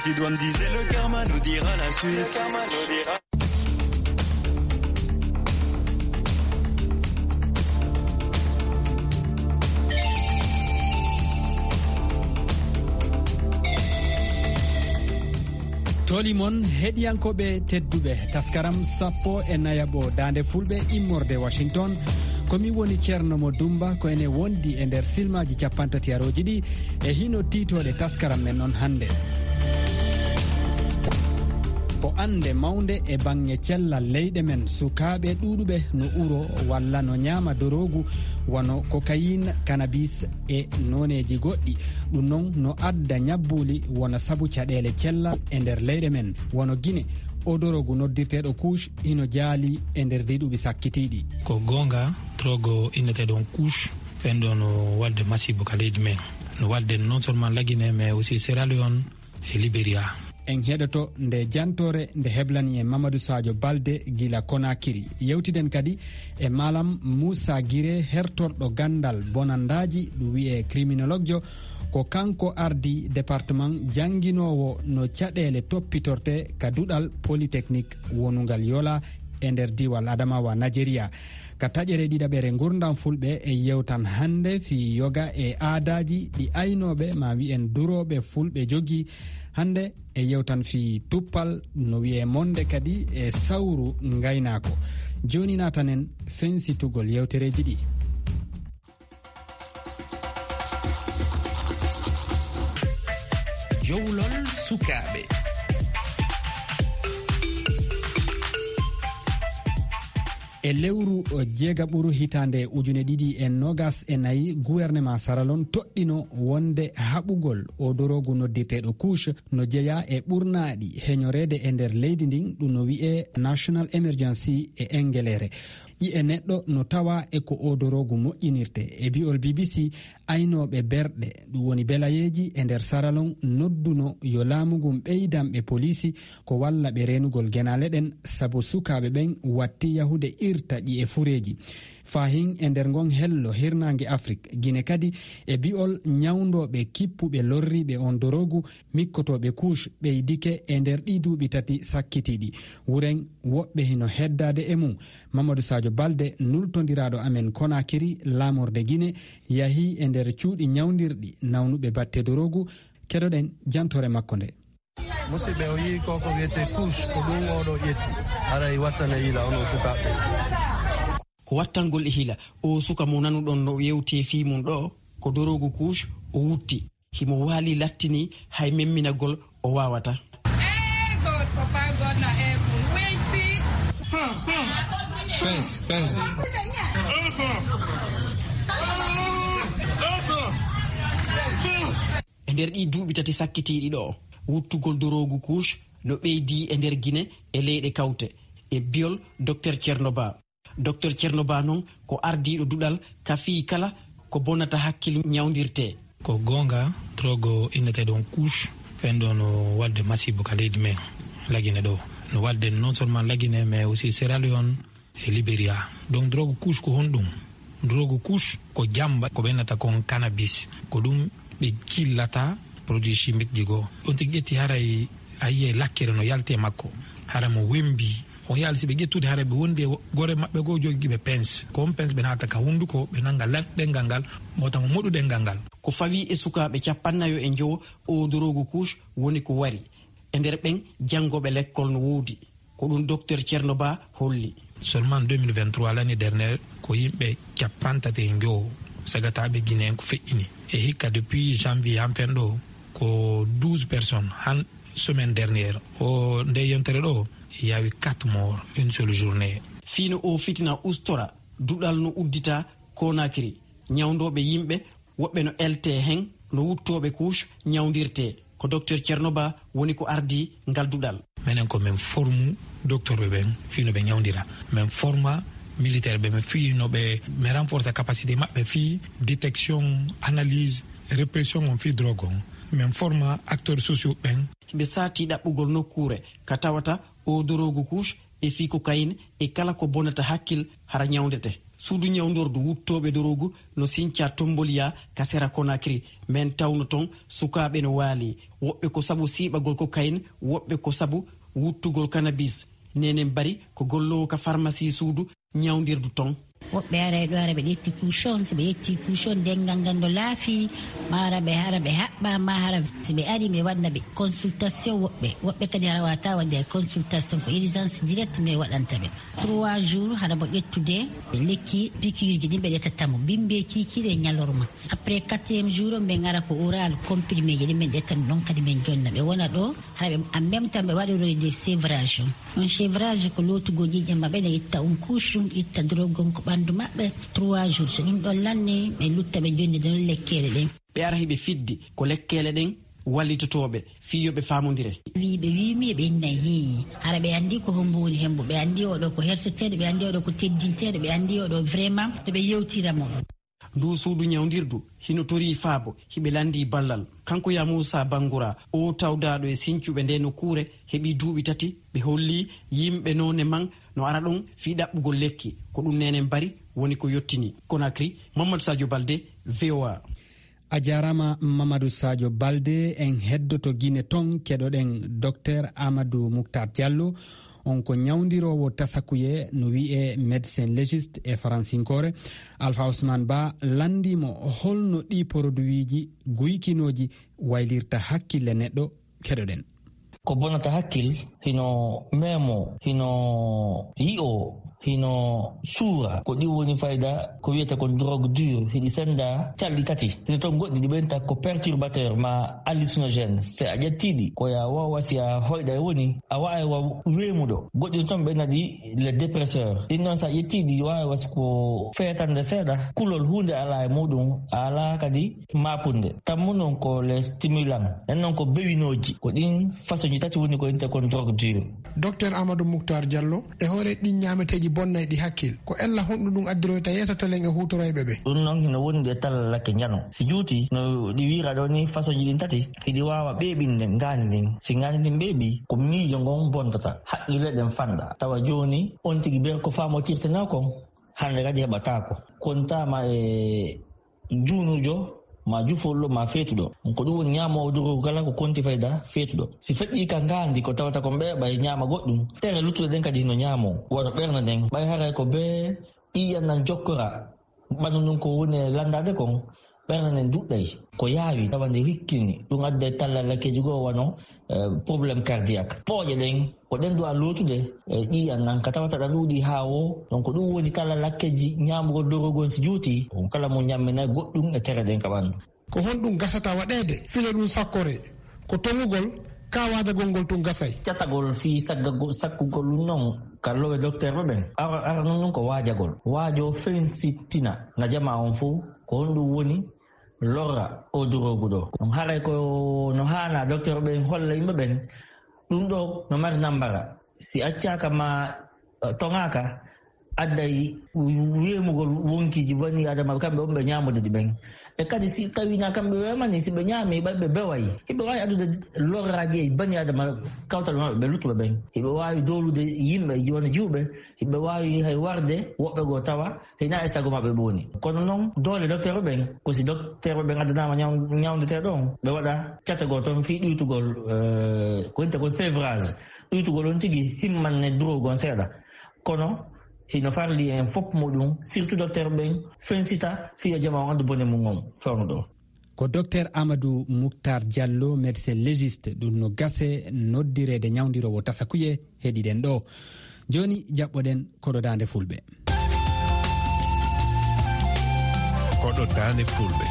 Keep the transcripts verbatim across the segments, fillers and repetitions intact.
Tu dois me dire, le karma nous dira la suite. Toli mon heɗiyankoɓe tedduɓe, taskaram sappo e nayaɓo Daande Fulɓe immorde Washington. Ko mi woni Ceerno mo Dumba, ko ene wondi e nder silmaji cappantati arooji ɗi e hino tiitoɗe taskaram men on hannde. Ko annde mawnde e baŋŋe cellal leyɗe men, sukaaɓe ɗuuɗuɓe no uro walla no ñaama doroogu wano cocaïne, cannabis e nooneeji goɗɗi. Ɗum noon no adda ñabbuuli wona sabu caɗeele cellal e nder leyɗe men, wano Gine. O doroogu noddirteeɗo kuuc hino jaali e nder ɗii duuɓi sakkitiiɗi. Ko goonga, drogue inneteeɗo on kuuc, fen ɗo no waɗde masiibo ka leydi men. No waɗde non seulement Lagine, mais aussi Sierra Leone e Liberia. En heɗoto nde jantoore nde heblani en Mamadou Sadio Balde gila Konakiri. Yewtiden kadi e Malam Moussa Guiré, hertorɗo ganndal bonandaaji, ɗum wiyee criminologue jo. Ko kanko ardi département jannginoowo no caɗeele toppitorte ka duɗal polytechnique wonungal Yola e nder diiwal Adamawa, Nigeria. Ka taƴere ɗiɗaɓere Ngurndan Fulɓe, e yewtan hannde fii yoga e aadaaji ɗi aynooɓe, ma wi'en durooɓe Fulɓe jogii. Hannde e yewtan fii tuppal, no wi'ee monde kadi e sawru ngaynaako. Jooni naatanen fensitugol yewtereeji ɗi. Jowlol sukaaɓe. E lewru jeegaɓuru hitaande ujune ɗiɗi e noogas e nayi, guwernema Saralon toɗɗino wonde haɓugol o doroogu noddirteeɗo kuuc no jeyaa e ɓurnaaɗi heñoreede e nder leydi ndin, ɗum no wi'ee National Emergency e Engeleere. Ƴi'e neɗɗo no tawaa e ko o doroogu moƴƴinirte. E bi'ol B B C, aynooɓe berɗe, ɗum woni belayeeji e nder Saralon, nodduno yo laamu ngun ɓeydan ɓe poliisi ko walla ɓe reenugol genaale ɗen, sabu sukaaɓe ɓen watti yahude irta ƴi'e fureeji. Fahin e nder ngon hello hirnaange Afrik, Gine kadi, e bi'ol ñawndooɓe kippuɓe lorriiɓe on doroogu, mikkotooɓe kuuc ɓeydike e nder ɗii duuɓi tati sakkitiiɗi. Wuren woɓɓe hino heddaade e mum. Mamadou Sadio Balde, nultondiraaɗo amen Konakiri, laamorde Gine, yahii e nder cuuɗi ñawndirɗi nawnuɓe batte doroogu. Keɗoɗen jantoore makko nde. Musidɓe, o yii ko ko wiyetee kuuc, ko ɗum oɗo ƴetti. Haray wattana yiila onon sukaaɓe. Ko wattangol e hiila, o suka mo nanuɗon no yewtee fii mum ɗo, ko doroogu kuuc o wutti. Himo waali lattini, hay memminagol o waawata. Eh, God, Papa God na heaven. Wait. Pens, pens. E nder ɗii duuɓi tati sakkitiiɗi ɗo, wuttugol doroogu kuuc no ɓeydii e nder Gine e leyɗe kawte, e bi'ol Docteur Thierno Ba. Docteur Thierno Ba non ko ardiiɗo duɗal ka fii kala ko bonata hakkil ñawndirtee. Ko goonga, drogue inneteeɗo on kuuc, fen ɗo no waɗde masiibo ka leydi men, Lagine ɗo. No waɗde non seulement Lagine, mais aussi Sierra Leone e Liberia. Donc, drogue kuuc ko honɗum? Drogue kuuc ko jamba, ko ɓe innata kon cannabis. Ko ɗum ɓe jillata produit chimique ji goo. On tigi ƴetti haray a yi'ay lakkere no yalti e makko. Hara mo wembi. On yaali si ɓe ƴettude haray ɓe wondi e gore maɓɓe goo jogiiɓe pens. Ko on pens ɓe naata ka hunduko, ɓe nanga lan-, ɗenngal ngal, mota mo moɗu ɗenngal ngal. Ko fawii e sukaaɓe cappannayo e njowo, o doroogu kuuc woni ko wari. E nder ɓen, janngooɓe lekkol no woodi. Ko ɗum Docteur Thierno Ba holli. Seulement deux mille vingt-trois, l'année dernière, ko yimɓe cappantato e njowo sagataaɓe Guinée ko feƴƴini. E hikka depuis janvier han fen ɗo, ko douze personnes. Han semaine dernière, o nde yontere ɗo, il y a eu quatre morts, une seule journée. Fii no o fitina ustora, duɗal no uddita Conakry. Ñawndooɓe yimɓe, woɓɓe no eltee hen, no wuttooɓe kuuc ñawndirtee. Ko Docteur Thierno Ba woni ko ardii ngal duɗal. Menen ko men formu docteur ɓe ɓen fii no ɓe ñawndira. Men forma militaire ɓe, men fii no ɓe, men renforce capacité maɓɓe fii détection, analyse, répression on fii drogue on. Men forma acteurs sociaux ɓen. Ɓe saatii ɗaɓɓugol nokkuure ka tawata o doroogu kuuc e fii cocaïne e kala ko bonata hakkil hara ñawndete. Suudu ñawndordu wuttooɓe doroogu no sincaa Tomboliya ka sera Konakiri. Men tawno ton sukaaɓe no waali. Woɓɓe ko sabu siiɓagol kokayin, woɓɓe ko sabu wuttugol kanabis. Nenen Bari ko golloowo ka farmasi suudu ñawndirdu ton. Woɓɓe aray ɗo, ara ɓe ƴetti kuucon. Si ɓe ƴetti kuucon, denngal ngal no laafi, ma ara ɓe, hara ɓe haɓɓa, ma hara si ɓe ari, mi waɗna ɓe consultation. Woɓɓe, woɓɓe kadi hara wata waɗde consultation, ko urgence direct mi waɗanta ɓe. Trois jours, hara mo ƴettude lekki, pikiirji ɗin ɓe ƴettata mo, bimbe kiikiiɗe e ñalorma. Après quatrième jour, ɓe ngara ko oral, comprimé ji ɗin ɓe ƴetta ɗon kadi ɓe jonna. Ɓe wona ɗo, hara ɓe, en même temps ɓe waɗiroyde sevrage on. On sevrage ko lootugol ƴiiƴam maɓɓe, ne itta on couche ɗum, itta drogue on ko ɓanndu maɓɓe. Trois jours, so ɗum ɗon lanni, ɓe lutta ɓe jonnida ɗon lekkeele ɗen. Ɓe ara hiɓe fiddi ko lekkeele ɗen wallitotooɓe fii yo ɓe faamondire. Wii ɓe wii mi ɓe innay hii. Hara ɓe anndi ko hombo woni hembo. Ɓe anndi oɗo ko herseteeɗo, ɓe anndi oɗo ko teddinteeɗo, ɓe anndi oɗo vraiment no ɓe yewtira mo. Ndu suudu ñawndirdu hino torii faabo, hiɓe lanndii ballal. Kanko ya Muusa Bangura, o tawdaaɗo e sincuɓe nde nokkuure, heɓii duuɓi tati, ɓe hollii yimɓe noone man no ara ɗon fii ɗaɓɓugol lekki. Ko ɗum Nenen Bari woni ko yottini. Konakiri, Mamadou Sadio Balde, V O A. A jaaraama, Mamadou Sadio Balde. En heddoto Gine ton, keɗoɗen Docteur Amadou Mouctar Diallo. On ko ñawndiroowo tasakuye, no wi'ee médecin légiste e faransinkoore. Alpha Ousmane Ba lanndii mo holno ɗii poroduwiiji guykinooji waylirta hakkille neɗɗo. Keɗoɗen. Ko bonata hakkil, hino meemo, hino yi'o, hino suura. Ko ɗi woni fayda ko wiyete kon drogue dure, hiɗi senda calɗi tati. Hino ton goɗɗi ɗi ɓenta ko perturbateur ma hallucinogène. Se a ƴettii ɗi, ko ya wawa si a hoyɗa e woni, a wawa wa weemuɗo. Goɗɗi ton ɓe naɗi les dépresseurs. Ɗin noon sa ƴettii ɗi wawa si ko feetande seeɗa, kulol huunde alaa e muɗum, a alaa kadi maapunde. Tammu noon ko les stimulants. En noon ko bewinooji. Ko ɗin façon ji tati woni ko inte kon drogue dure. Docteur Amadou Mouctar Diallo, e hoore ɗin ñaameteeji bonnayɗi hakkil, ko ella honɗum ɗum addiroyta yeeso telen e huutoroyɓe ɓe? Ɗum noon hino wondi e tallalakke njano. Si juuti, no ɗi wiira ɗo ni façon ji ɗin tati, hiɗi waawa ɓeeɓinde ngaandi ndin. Si ngaandi ndin ɓeeɓi, ko miijo ngon bontata, haqqille ɗen fanɗa. Tawa jooni, on tigi ber ko faamotirtenoo kon, hannde kadi heɓataako. Kontaama e juunuujo, ma jufolɗo, ma feetuɗo. Ko ɗum woni ñaamoowo dorogu kala ko konti fayda feetuɗo. Si feƴƴii ka ngaandi ko tawata ko ɓeeɓa e ñaama goɗɗum, tere luttuɗe ɗen kadi hino ñaamoo. Wano ɓernde nden, ɓay haray ko bee ƴiiƴan nan jokkora, ɓanndu ndun ko woni e lanndaade kon, ɓernde nden duɗɗay. Ko yaawi, tawa nde hikkini, ɗum adda e talla lakkeeji goo wano eh, problème cardiaque. Pooƴe ɗen, ko ɗen duwa lootude, eh, ƴiiƴan nan ka tawata ɗa ɗuuɗi haa woo. Donc, ɗum woni talla lakkeeji ñaamugol dorogu on si juuti, on kala mo ñamminay goɗɗum e tere ɗen ka ɓanndu. Ko honɗum gasata waɗeede filo ɗum sakkore? Ko toŋugol, ka waajagol ngol tun gasay? Catagol fii saggagol, sakkugol ɗum non ka lowe docteur ɓe ɓen. Ara, ara non ɗum ko waajagol. Waajo fensittina na jamaa on fow, ko honɗum woni lorra o dorogu ɗo. Ɗum haray ko no haana docteur ɓen holla yimɓe ɓen. Ɗum ɗo no mari nambara. Si accaaka ma, eh, toŋaaka, adday weemugol wonkiiji bani adama kamɓe on ɓe ñaamude ɗi ɓen. E kadi si tawi na kamɓe weemani, si ɓe ñaami, ɓay ɓe beway. Hiɓe waawi addude lorraaji e bani adama kawtal maɓɓe ɓe luttuɓe ɓen. Hiɓe waawi doolude yimɓe wona jiwɓe. Hiɓe waawi hay warde woɓɓe goo tawa hina e sago maɓɓe ɓe woni. Kono noon, doole docteur ɓen, ko si docteur ɓen addanaama ñaw-, ñawndeteeɗo on, ɓe waɗa cate goo toon fii ɗuytugol, eh, ko wiyetee ko sevrage. Ɗuytugol on tigi himmanne drogue on seeɗa. Kono hino farli en fof muɗum, surtout docteur ɓen, fensita fii yo jama on anndu bone mum on fewndo ɗo. Ko docteur Amadou Mouctar Diallo, médecin légiste, ɗum no gase noddireede ñawndiroowo tasakuye heɗiɗen ɗo. Jooni jaɓɓoɗen koɗo daande fulɓe. Koɗo daande fulɓe.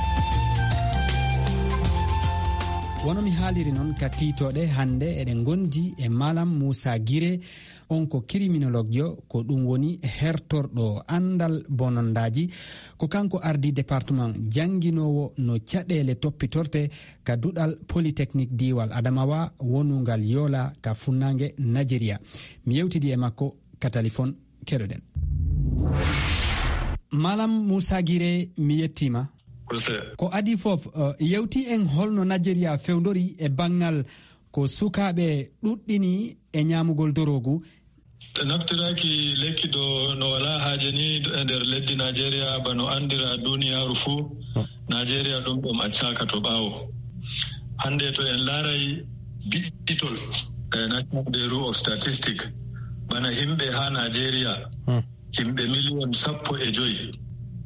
Wano mi haaliri noon ka tiitooɗe, hannde eɗen ngondi e Malam Moussa Guiré, on ko criminologue jo, ko ɗum woni hertorɗo anndal bonondaaji. Ko kanko ardii département jannginoowo no caɗeele toppitorte ka duɗal Polytechnique diiwal Adamawa wonungal Yola ka funnaange Nigeria. Mi yewtidi e makko ka talifon, keɗoɗen. Malam Moussa Guiré, mi yettiima. Ko adii fof, eh, yewti en holno Nigeria fewndori e banngal ko sukaaɓe ɗuɗɗini e ñaamugol dorogu. Naftiraaki lekki ɗo no walaa haaje ni e nder leddi Najeriya, bano anndira duniyaaru fuu. Najeriya ɗum ɗum accaaka to ɓaawo. Hannde to en laaray biɗɗitol, eh, National Bureau of Statistics, bana himɓe haa Najeriya, Hmm. himɓe miliyon sappo e joy.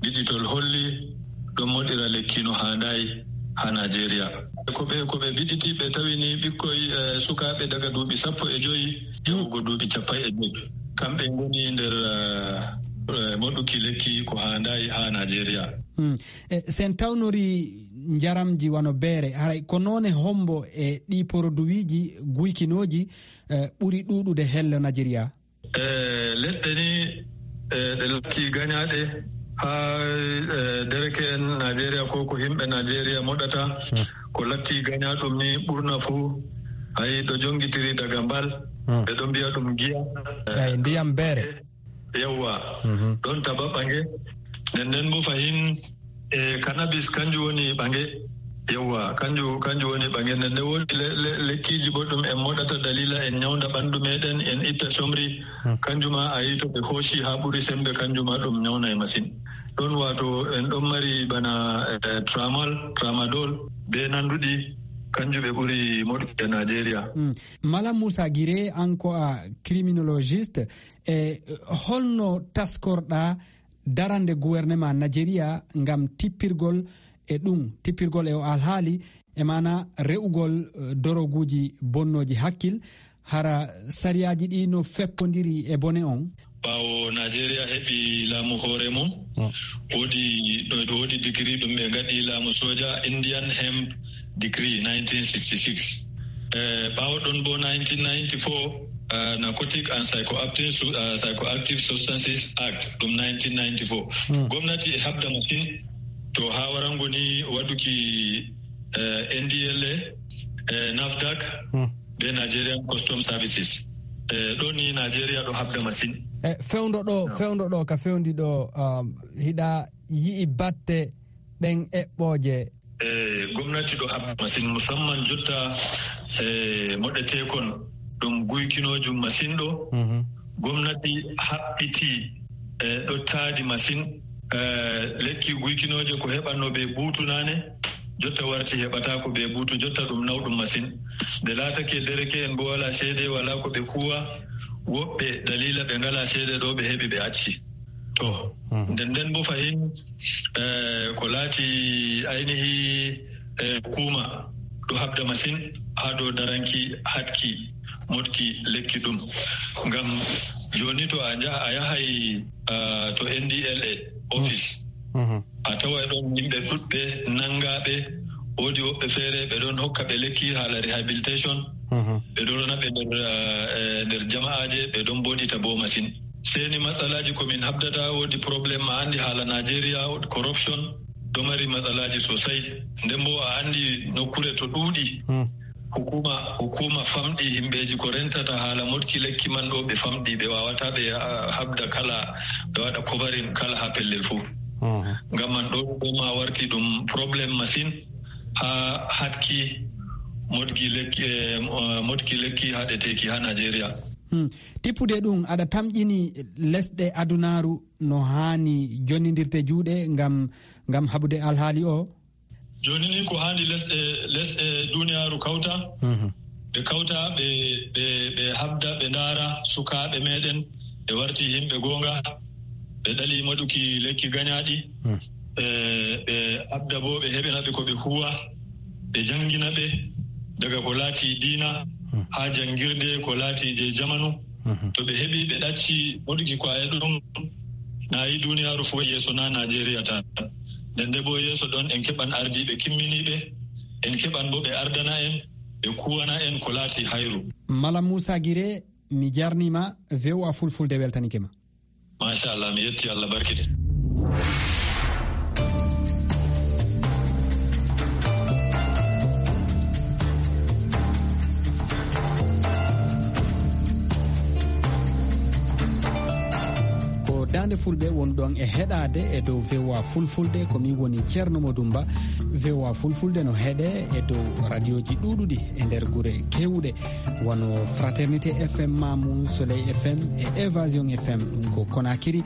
Biɗɗitol holli ɗon moɗira lekki no haandaay haa Najeriya. Ko ɓe, ko ɓe biɗɗiti, ɓe tawi ni ɓikkoy, eh, sukaaɓe daga duuɓi sappo e joy yahugo duuɓi cappanɗe joy. Kamɓe ngoni nder, eh, eh, moɗuki lekki ko haandaay haa Najeriya. Hmm. E, sen tawnori njaramji wano beere, haray ko noone hombo e ɗi poroduwiiji guykinooji, eh, ɓuri ɗuuɗude hello Najeriya? E, leɗɗe ni, e, ɗe latti gañaaɗe haa, e, dereke en Najeriya ko ko himɓe Najeriya moɗata. Hmm. Ko latti gañaaɗum ni ɓurna fuu, hay ɗo jongitiri daga mbal, Hmm. ɓe ɗo mbiya ɗum giya. Eyi, ndiyam beere. Yawwa. Mhm. Ɗon taba ɓange. Nden nden bo fahin, e, cannabis kanjum woni ɓange. Yawwa, kanjum, kanjum woni ɓange. Nden nden woodi le-, le-, lekkiiji bo ɗum en moɗata dalila en nyawnda ɓandu meɗen, en itta comri. Hmm. Kanjum ma a yi to ɓe hooci haa ɓuri sembe, kanjum ma ɗum nyawnay masin. Ɗon waato en ɗon mari bana, e, tramal, tramadol, be nanduɗi, kanjum ɓe ɓuri moɗuki e Najeriya. Hmm. Malam Musa Gire, an ko a criminologiste, e holno taskorɗa darande gouvernement Najeriya ngam tippirgol e ɗum, tippirgol e o alhaali, e maana re'ugol, eh, doroguuji bonnooji hakkil, hara sariyaaji ɗi no feppondiri e bone on? Ɓaawo Najeriya heɓi laamu hoore mum, Hmm. woodi, ɗo, ɗo woodi digiri ɗum ɓe ngaɗi laamu soja, Indian Hemp Decree nineteen sixty-six. Eh, ɓaawo ɗon bo nineteen ninety-four, eh, Narcotic and Psychoactive Su-, eh, Psychoactive Substances Act, ɗum nineteen ninety-four. Hmm. Gomnati e habda masin to haa warango ni waɗuki, eh, N D L A, eh, nafdac, Hmm. be Nigerian Customs Services. Eh, ɗo ni Nigeria ɗo habda masin. Eh, fewndo ɗo, No. fewndo ɗo, ka fewndi ɗo, um, hiɗa yi'i batte ɗen eɓɓooje? E, gomnati ɗo habda masin, musamman jotta, e, moɗeteekon ɗum guykinooju masin ɗo. Mhm. Gomnati haɓɓiti, e, ɗo taadi masin. E, lekki guykinooje ko heɓanno ɓe buutu naane, jotta warti heɓataako ɓe buutu, jotta ɗum nawɗum masin. Nde laatake dereke'en bo wala ceede, wala ko ɓe kuwa, woɓɓe dalila ɓe ngala ceede ɗo ɓe heɓi ɓe acci. To, Mhm. nden nden bo fahin, eh, ko laati ainihi, eh, hukuma ɗo habda masin haa dow daranki haɗki moɗki lekki ɗum. Ngam jooni to a njaha, a yahay, ah, to N D L A office, Mhm. a taway ɗon yimɓe ɗuɗɓe nangaaɓe, woodi woɓɓe feere ɓe ɗon hokka ɓe lekki haala rehabilitation, Mhm. ɓe ɗon rona ɓe nder, eh, nder jama'aaje, ɓe ɗon mboɗita bo masin. Seni matsalaaji ko min habdata, woodi problème ma anndi haala Nigeria, woodi corruption, ɗo mari matsalaaji sosai. Nden bo a anndi nokkure to ɗuuɗi, Hmm. hukuma, hukuma famɗi himɓeji ko rentata haala moɗki lekki man ɗo, ɓe famɗi, ɓe wawata ɓe, ah, habda kala, ɓe waɗa covering kala ha pellel fuu. Mhm. Ngam man ɗo, ɗo ma warti ɗum problème masin ha haɗki moɗki lekki, eh, mo-, moɗki lekki haɗeteeki ha Nigeria. Hmm. Tippude ɗum, aɗa tamƴini lesɗe adunaaru no haani jonnindirde juuɗe ngam, ngam haɓude alhaali o? Jooni ni ko haani lesɗe, lesɗe duniyaaru kawta, Mhm. ɓe kawta, ɓe, ɓe, ɓe habda, ɓe ndaara sukaaɓe meɗen, ɓe warti himɓe goonga, ɓe ɗali moɗuki lekki gañaaɗi, Hmm. ɓe, ɓe habda bo, ɓe heɓina ɓe ko ɓe huwa, ɓe janngina ɓe daga ko laati diina Hmm. haa janngirde ko laati je jamanu. Mhm. To ɓe heɓi, ɓe ɗacci moɗuki ko e ɗum, na yi duniyaaru fof yeeso, na Nigeria tan. Nde nde bo yeeso ɗon, en keɓan ardiiɓe kimminiiɓe, en keɓan bo ɓe ardana en, ɓe kuwana en ko laati hayru. Malam Musa Gire, mi jarnima V O A Fulfulde weltanike ma. Machallah, mi yetti, Allah barkide. Ko Nde fulɓe wonɗon e heɗaade e dow V O A Fulfulde, ko min woni Ceerno Modou Mba. V O A Fulfulde no heɗe e dow radioji ɗuuɗuɗi e nder gure keewɗe, wano Fraternité F M Mamou, Soleil F M e Évasion F M, ɗum ko Conakry,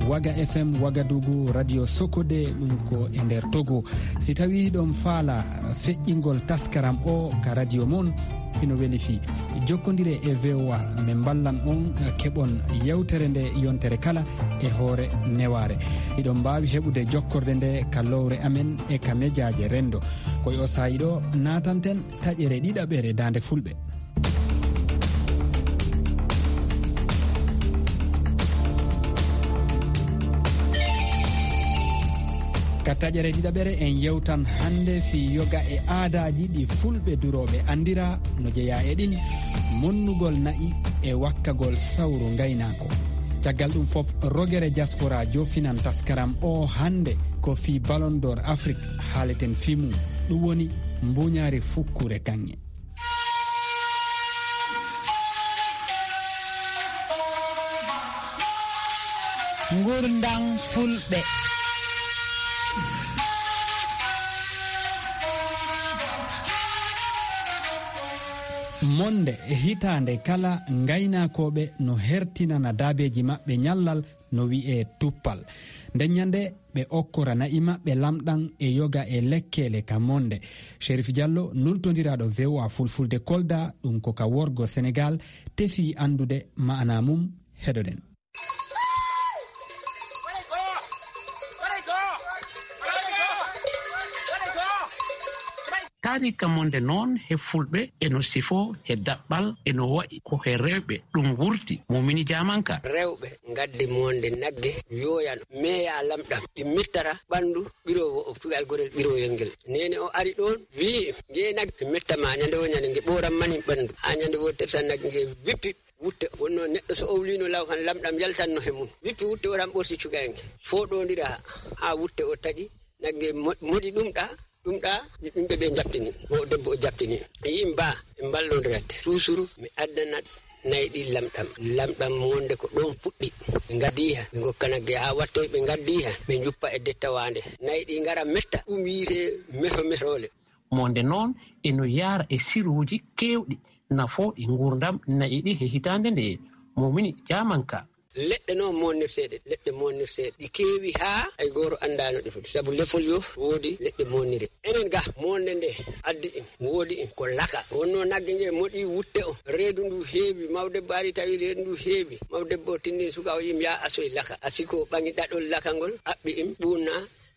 Waga F M Ouagadougou, Radio Sokode, ɗum ko e nder Togo. Si tawi hiɗon faala feƴƴingol taskaram o ka radio mon, hino weli fii. Jokkondire e V O A, min mballan on, eh, keɓon yewtere nde yontere kala e hoore newaare. Hiɗon mbaawi heɓude jokkorde nde ka lowre amen e ka mejaaje renndo. Ko e o saa'i ɗo naatanten taƴere ɗiɗaɓere Daande Fulɓe. Ka taƴere ɗiɗaɓere en yewtan hannde fii yoga e aadaaji ɗi fulɓe durooɓe anndira no jeyaa e ɗin, monnugol na'i e wakkagol sawru ngaynaako. Caggal ɗum fof, rogere diaspora jofinan taskaram o hannde ko fii Ballon d'Or Afrique haaleten fii mum. Ɗum woni mbuuñaari fukkure kaŋŋe. Ngurndam fulɓe. Monde e hitaande kala, ngaynaakooɓe no hertinana daabeeji maɓɓe ñallal no wi'ee tuppal. Nden ñande ɓe okkora na'i maɓɓe lamɗam e yoga e lekkeele ka monde. Sherif Diallo, nultondiraaɗo V O A Fulfulde Kolda, ɗum ko ka worgo Senegal, tefii anndude ma'anaa mum. Heɗoɗen. Taariika monde noon he fulɓe e no sifoo he daɓɓal e no wa'i ko he rewɓe ɗum wurti, Mumini Jaamanka. Rewɓe ngaddi monde nagge yooyano meeya lamɗam ɗi mettata ɓanndu ɓiroowo o cugal gorel ɓirooyel ngel. Neene o ari ɗoon wi'i ngee nagge mettama ñande wo ñande nge ɓooran manin ɓanndu haa ñande wo tertan nagge nge wippi wutte wonno neɗɗo so owlino law kan lamɗam yaltanno he mum wippi wutte o tan ɓorti cugal nge fooɗondira haa wutte o taƴi nagge moɗi ɗum ɗa ɗum ɗa yimɓe ɓe jaɓtini o debbo o jaɓtini yi'im ba ɓe mballondirande toujours mi addanat nayi ɗi lamɗam lamɗam monde ko ɗon puɗɗi ɓe ngaddiha ɓe gokka nagge haa wattoy ɓe ngaddiha ɓe njuppa e dettawande nayi ɗi ngara metta ɗum yiite meho mehrole. Monde noon eno yaara e siruuji keewɗi nafooɗi nguurndam na'i ɗi he hitaande nde. Momini Jaamanka. Leɗɗe noon monnirteeɗe, leɗɗe monnirteeɗe ɗi keewi haa hay gooto anndaano ɗe foti, sabu lefol yo woodi leɗɗe monnire. Enen ga monde nde addi en, woodi en ko laka. Wonno nagge nge moɗi wutte o, reedu ndu heewi, mawdebbo ari tawi reedu ndu heewi, mawdebbo o tinni suka o yim yaa asoy laka. Asiko ɓaŋi ɗaɗol laka ngol, aɓɓi im ɓuunna,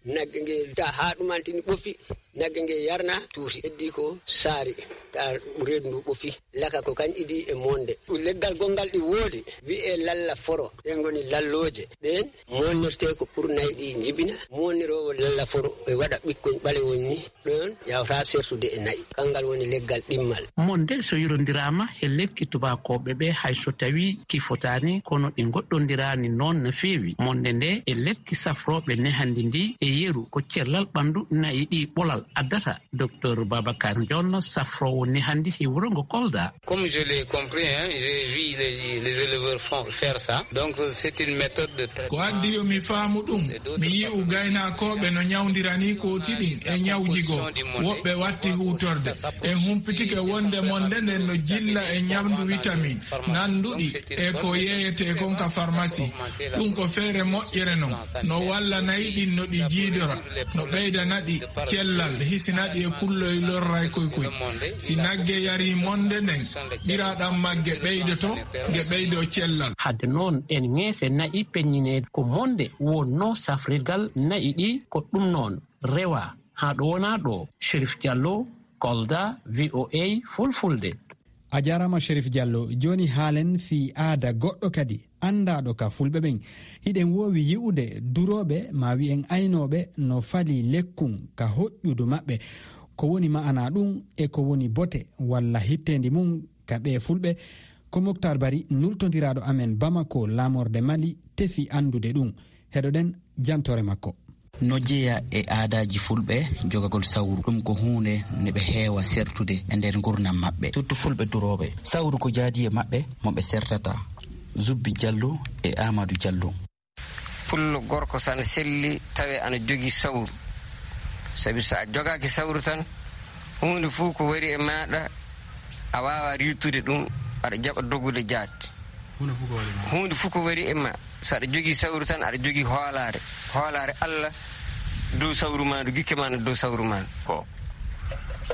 nagge nge ta haa ɗumantini ɓofi, nagge nge yarna tuuti, heddi ko saari ta reedu ndu ɓofi. Laka ko kañ idi e monde. Ɗum leggal gonngal ɗi woodi, wiyee lalla foro. Ɗen ngoni lallooje. Ɗeen monnirtee ko ɓurnay ɗi njibina. Monniroowo lalla foro e waɗa ɓikkoñ ɓalewol ni. Ɗoon yawta sertude e na'i. Kanngal woni leggal ɗimmal. Monde so yirondiraama he lekki tubaakooɓe ɓe hay so tawii ki fotaani kono ɗi ngoɗɗondiraani noon no feewi. Monde nde e lekki safrooɓe nehandi ndi e yeru ko cellal ɓanndu na'i ɗi ɓolal addata. Docteur Babacar Ndion safroowo nehandi he wuro ngo Kolda. Comme je l'ai compris, hein, j'ai vu les, les éleveurs font, faire ça. Donc c'est une méthode de traitement. Ko addi yo mi faamu ɗum, mi yi'u gaynakooɓe no ñawndira ni kooti ɗin e ñawji goo. Woɓɓe watti huutorde. En humpitike wonde monde nden no jilla e ñamdu witamin nanduɗi e ko yeeyetee kon ka farmasi. Ɗum ko feere moƴƴere non, no walla nayi ɗin no ɗi jiidora, no ɓeydana ɗi cellal, hisina ɗi e kulloy lorray koy koy. Si nagge yarii monde nden, ɓiraɗam magge ɓeydoto, nge ɓeydo cellal. Hadde noon, ɗen ŋeese na'i peññineede ko monde wonnoo safrirgal na'i ɗi, ko ɗum noon rewaa haa ɗo wonaa ɗoo. Sherif Diallo, Kolda, V O A Fulfulde. A jaaraama Sherif Diallo. Jooni haalen fii aada goɗɗo kadi anndaaɗo ka fulɓe ɓen. Hiɗen woowi yi'ude durooɓe maa wi'en aynooɓe no falii lekkun ka hoƴƴudu maɓɓe. Ko woni ma'anaa ɗum e ko woni bote walla hitteendi mum ka ɓee fulɓe? Ko Moktar Bari nultondiraaɗo amen Bamako laamorde Mali tefi anndude ɗum. Heɗoɗen jantoore makko. No jeyaa e aadaaji fulɓe jogagol sawru, ɗum ko huunde nde ɓe heewa sertude e nder ngurndan maɓɓe, surtout fulɓe durooɓe. Sawru ko jaadi e maɓɓe mo ɓe sertata. Zubbi Jallo e Aamadu Jallo. Pullo gorko so ana selli tawe ana jogii sawru. Sabi so a jogaaki sawru tan, huunde fof ko wari e maaɗa, a waawaa riittude ɗum, aɗa jaɓa dogude jaat. Huunde fof ko wari e ma. Huunde fof ko wari e ma. So aɗa jogii sawru tan, aɗa jogii hoolaare. Hoolaare Allah dow sawru maa ndu, gikke maa na dow sawru maa ndu. Ko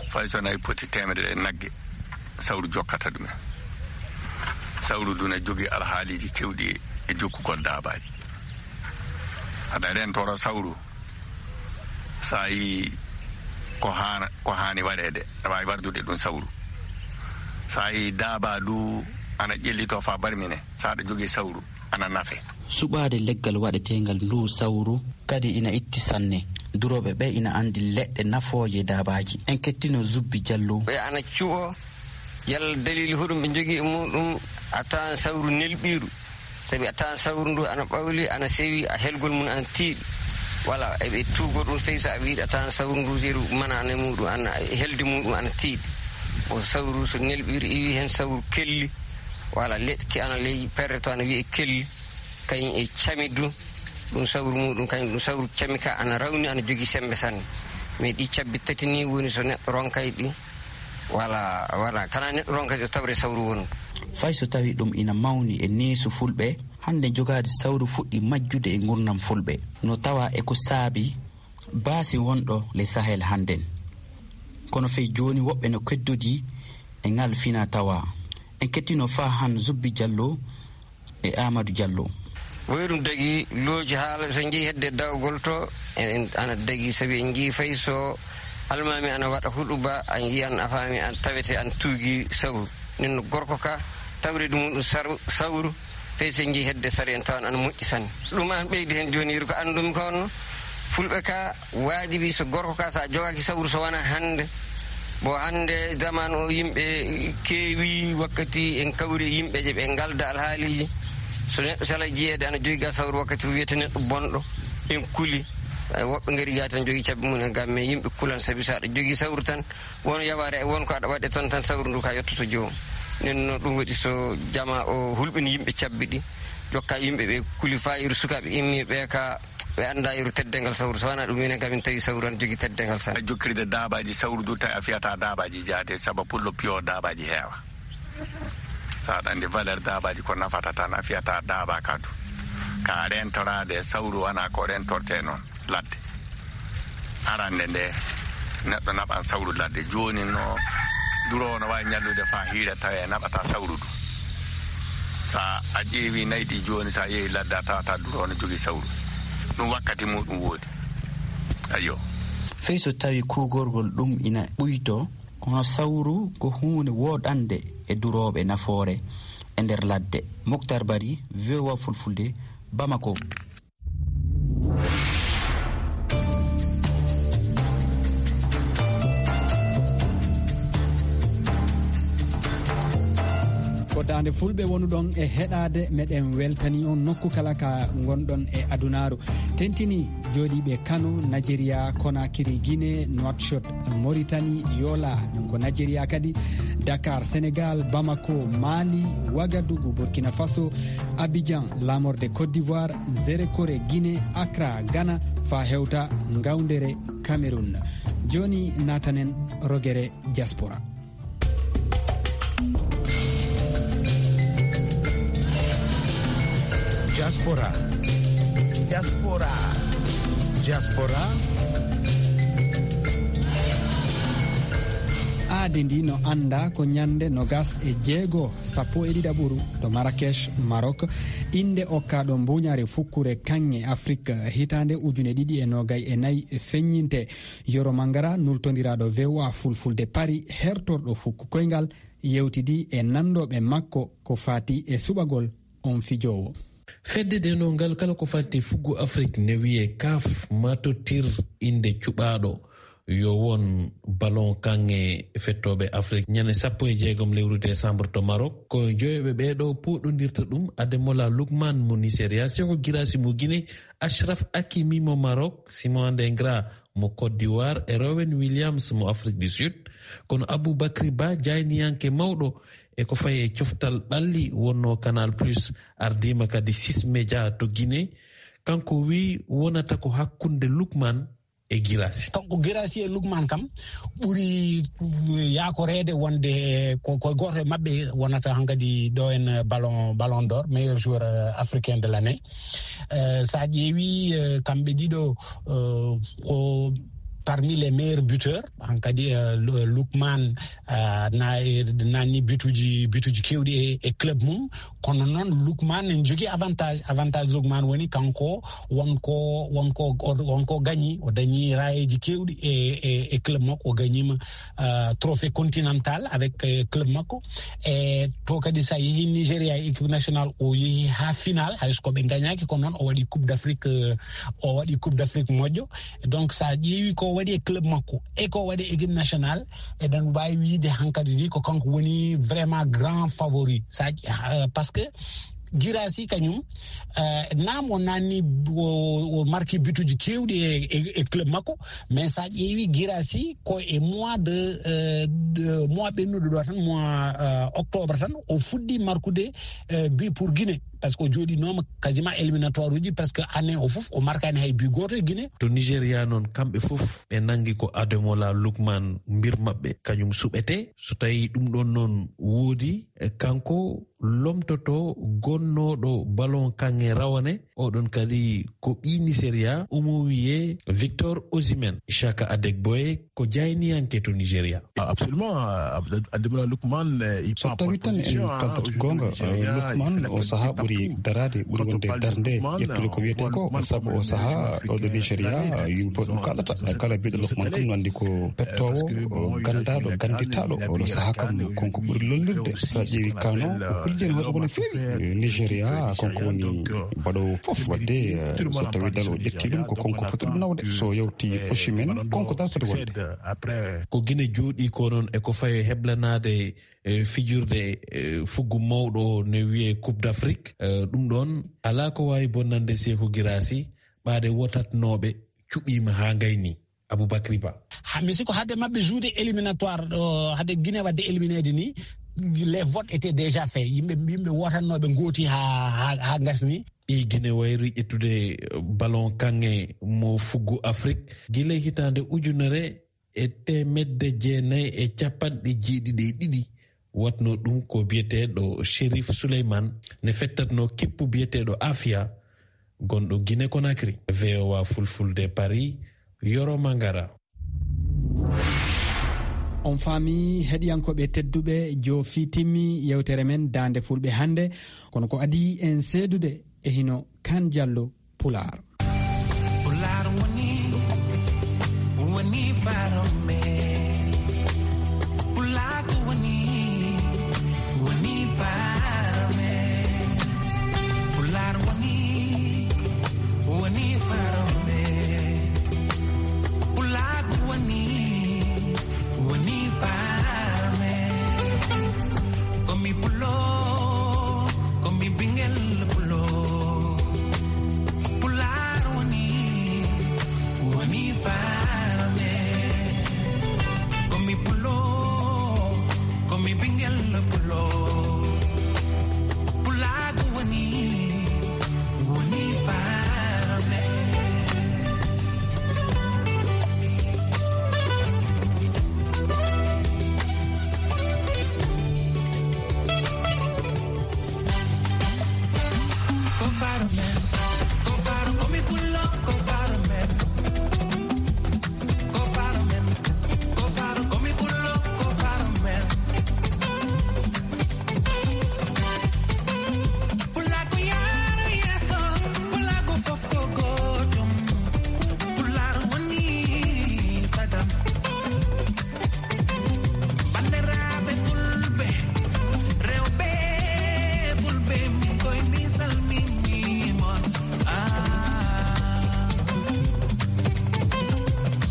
fay so nayi poti teemedere e nagge, sawru jokkata ɗum en. Sawru ndu na jogii alhaaliiji keewɗi e jokkugol daabaaji. Aɗa rentora sawru, so a yii ko haana, ko haani waɗeede, aɗa waawi wardude ɗum sawru. So a yii daabaa ndu ana ƴellitoo faa barmine, so aɗa jogii sawru, ana nafe. Suɓaade leggal waɗeteengal ndu sawru kadi ina itti sanne. Durooɓe ɓe ina anndi leɗɗe nafooje daabaaji. En kettino Zubbi Jallo. Ɓe ana cuɓoo, yalla daliili hoɗum ɓe njogii e muɗum, a tawan sawru nelɓiiru. Sabi a tawan sawru ndu ana ɓawli, ana sewi, a helgol mum ana tiiɗi. Wala, eɓe tuugo ɗum fey so a wiide a tawan sawru ndu yeru manaane muɗum ana, helde muɗum ana tiiɗi. O sawru so nelɓiiru iwi heen sawru kelli, wala leɗki ana ley perre to ana wiyee kelli, kañum e cami du, ɗum sawru muɗum, kañum ɗum sawru cami ka ana rawni, ana jogii semmbe sanne. Mais ɗi cabbi tati ni woni so neɗɗo ronkay ɗi, wala, wala, kana neɗɗo ronkay ɗo tawre sawru wondu. Fay so tawi ɗum ina mawni e neesu fulɓe, hannde jogaade sawru fuɗɗi majjude e ngurndan fulɓe. No tawa e ko saabi baasi wonɗo le Sahel hannden. Kono fey jooni woɓɓe no keddodii e ngal fina tawa. En kettino faa han Zubbi Jallo e Amadou Jallo. Woyrum dagi looji haala so njii hedde dawgol to, en, en ana dagi sabi en njii fay so almaami ana waɗa huɗuba, a njiyan a faami an tawete an tuugi sawru. Nen no gorko ka tawreedu muɗum saru-, sawru, fey so njii hedde sari en tawan ana moƴƴi sanne. Ɗum an ɓeydi heen jooni yeru ko anndumi ko honno fulɓe ka waajibi so gorko ka so a jogaaki sawru so wonaa hannde. Bon, hannde zaman o yimɓe keewi wakkati en kawri e yimɓe je ɓe ngalda alhaaliiji. So neɗɗo sala jiyeede ana jogi ga sawru wakkati wiyete neɗɗo bonɗo. En kuli. Ay, woɓɓe ngari gaa tan jogi cabbi mum en ga, mais yimɓe kulan sabi so aɗa jogi sawru tan, won yawaare, won ko aɗa waɗe toon tan, sawru ndu ka yottoto joom. Nen no ɗum waɗi so jama o hulɓini yimɓe cabbi ɗi, jokka yimɓe ɓe kuli faa yeru sukaaɓe immi ɓe ka ɓe annda yeru teddengal sawru. So wanaa ɗum minen kam min tawi sawru ana jogi teddengal sanne. A jokkirde daabaaji sawru du tawi a fiyata daabaaji jaate sabu pullo piyo daabaaji heewa. So aɗa anndi valeur daabaaji ko nafata tan a fiyata daaba ka du. Ka rentoraade sawru wanaa ko rentorte noon. Ladde. Arande nde, neɗɗo naɓan sawru ladde. Jooni no, duroowo no waawi ñallude faa hiira tawi a naɓata sawru du. So a ƴeewi nayi ɗi jooni, so a yehi ladde, a tawata duroowo no jogii sawru. Ɗum wakkati muɗum woodi. Ayyo. Fey so tawi kuugorgol ɗum ina ɓuyto, kono sawru ko huunde woɗande e durooɓe nafoore e nder ladde. Moktar Bari, V O A Fulfulde, Bamako. Ko Daande Fulɓe wonuɗon e heɗaade, meɗen weltani on nokku kala ka ngonɗon e adunaaru. Tentini jooɗiiɓe Kano, Nigeria, Conakry, Guinée, Nouakchott, Mauritanie, Yola, ɗum ko Nigeria kadi, Dakar, Sénégal, Bamako, Mali, Ouagadougou, Burkina Faso, Abidjan, laamorde Côte d'Ivoire, Zerekore, Guinée, Accra, Ghana, faa hewta Ngawndere, Cameroun. Jooni naatanen rogere diaspora. Diaspora. Diaspora. Diaspora. Aadi ndi no anndaa ko ñande nogas e jeego, sappo e ɗiɗaɓuru to Marrakech, Maroc, innde okkaaɗo mbuuñaare fukkure kaŋŋe Afrik hitaande ujune ɗiɗi e noogay e nayi feññinte. Yoro Mangara, nultondiraaɗo V O A Fulfulde Paris, hertorɗo fukku koyngal, yewtidi e nanndooɓe makko ko faati e suɓagol on fijoowo. Fedde denongal kala ko fatti fuggu Afrik ne wiye kaf matottir innde cuɓaaɗo yo won ballon kaŋŋe fettooɓe Afrik ñande sappo e jeegom lewru décembre to Maroc. Ko joyoɓe ɓeeɗo pooɗondirta ɗum, Ademola Lookman mo Nigeria, Sekou Guirassy mo Guinée, Achraf Hakimi mo Maroc, Simon Adingra mo Côte d'Ivoire e Ronwen Williams mo Afrique du Sud. Kono Aboubacry Ba, jayniyanke mawɗo e ko fayi e coftal ɓalli wonno Canal Plus, ardiima kadi Six Média to Guinée, Kanko wi wonata ko hakkunde Lukman e Girassi. Kanko Girassi e Lukman kam ɓuri yaakoreede wonde ko, ko gooto e maɓɓe wonata hankadi ɗo en ballon, ballon d'or, meilleur joueur, euh, africain de l'année. Euh, sa ƴeewi, euh, kamɓe ɗiɗo, euh, ko parmi les meilleurs buteurs. Hankadi, euh, Lu-, Lukman, euh, na, nanni bituji, bituji kewɗi e, e club mum. Kono noon Lukman ne jogii avantage. Avantage Lukman woni kanko wonko, wonko, o, wonko gañi. O dañi rayeeji kewɗi e, e, e club makko. O gañiima, euh, trophée continental avec, euh, club makko. E to kadi sa yehi Nigeria e équipe nationale, o yehi ha final, hay so ko ɓe gañaki, kono noon o waɗi Coupe d'Afrique, euh, o waɗi Coupe d'Afrique moƴƴo. Donc sa ƴeewi ko waɗi e club makko e ko waɗi e équipe nationale, eɗen mbawi wiide hankadi ni ko kanko woni vraiment grand favori. Sa, euh, parce que Girassi kañum, euh, naam o nanni o, o marki bituji kewɗi e, e, e club makko, mais sa ƴeewi Girassi ko e mois de, euh, de mois ɓennuɗo ɗo tan, mois, euh, octobre tan, o fuɗɗi markude, euh, bi pour Guinée, parce que o joɗinoma quasiment éliminatoire uji, parce que année o fof o markani hay bi goto e Guinée. To Nigeria noon, kamɓe fof ɓe nangi ko Ademola Lukman mbir maɓɓe, kañum suɓete. So tawi ɗum ɗon noon woodi, e kanko lomtoto gonnooɗo ballon kaŋŋe rawane, oɗon kadi ko ɓii Nigeria, omo wiyee Victor Osimhen. Chaka Adegboye ko jayniyanke to Nigeria. Absolument, Abd-, Ademola Lookman, eh, il so tawi tan en kaltat goonga, Lookman o sahaa ɓuri daraade, ɓuri wonde darnde ƴettude ko wiyetee ko, sabu o sahaa ɗo ɗo Nigeria, yimɓe fof ɗum kaalata. Kala biɗo Lookman kam no anndi ko pettoowo, gandaaɗo, ganditaaɗo. Oɗo sahaa kam, konko ɓuri lollirde. So a ƴeewi Kano, o holliti hoore makko no feewi. Nigeria, konko woni baɗoowo fof. Wadde, eh, so tawi dal o ƴetti ɗum, ko konko foti ɗum nawde. So yawti Osimhen, konko dal foti wonde. Ko Gine jooɗi ko noon e ko fayo heblanaade, eh, fijirde, eh, fuggu mawɗo ne wiyee Coupe d'Afrique. Eh, ɗum ɗoon alaa ko waawi bonnande Seeku Giraasi, ɓaade wotatnooɓe cuɓiima haa ngayni. Aboubacry Ba. Ha, mi sikko hadde maɓɓe jouer éliminatoire ɗo, hadde Guinée wadde élimineede ni, les votes étaient déjà faits. Yimɓe, yimɓe wotannooɓe ngooti ha, ha, ha ngasni. Ɓii Guinée wayri ƴettude ballon kaŋŋe mo fuggu Afrique gila hitaande ujunere e teemedde jeenayi e capanɗe jeeɗiɗi e ɗiɗi. Watno ɗum ko biyeteeɗo Chérif Souleymane ne fettatno kippu biyeteeɗo Afia, gonɗo Guinée Conakry. V O A Fulfulde Paris, Yoro Mangara. On faami, heɗiyankooɓe tedduɓe, joofi timmi yewtere men Daande Fulɓe hannde. Kono ko adii en seedude e hino Kan Jallo Pulaar. Pulaar woni, woni faaro men. Pulaagu woni, woni faaro men. Pulaar woni, woni faaro men. Pulaagu woni, woni faaro men. Ko mi pulo, ko mi ɓingel pulo. Pulaar woni, woni faaro men. Ko mi pulo, ko mi ɓingel pulo. Pulaagu woni, woni faaro men. Banndiraaɓe Fulɓe, rewɓe Fulɓe, min koye min salmini mon. Ah.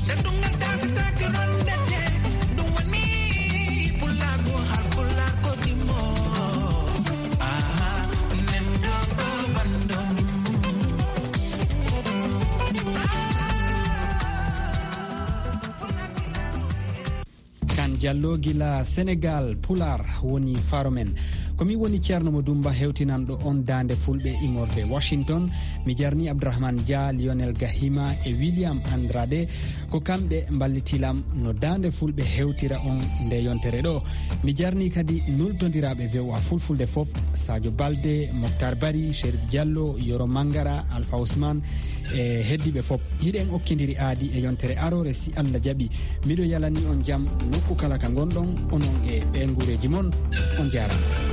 Teddungal dasataake rondete, ɗum woni Pulaagu, Haalpulaar ko ɗimmo. Ah, nenɗo ko banndum. Kan Jallo gila Senegal, Pulaar woni faaro men. Ko min woni Ceerno Mo Dumba, hewtinanɗo on Daande Fulɓe immorde Washington. Mi jarni Abdourahmane Dia, Lionel Gahima e William Andrade. Ko kamɓe mballitilam no Daande Fulɓe hewtira on nde yontere ɗo. Mi jarni kadi nultondiraaɓe V O A Fulfulde fof, Sadio Balde, Moctar Bari, Chérif Diallo, Yoro Mangara, Alpha Ousmane, e heddiiɓe fof. Hiɗen okkindiri aadi e yontere aroore, si Allah jaɓi. Miɗo yalani on jam nokku kala ka ngonɗon, onon e ɓe nguureeji mon. On jaaraama.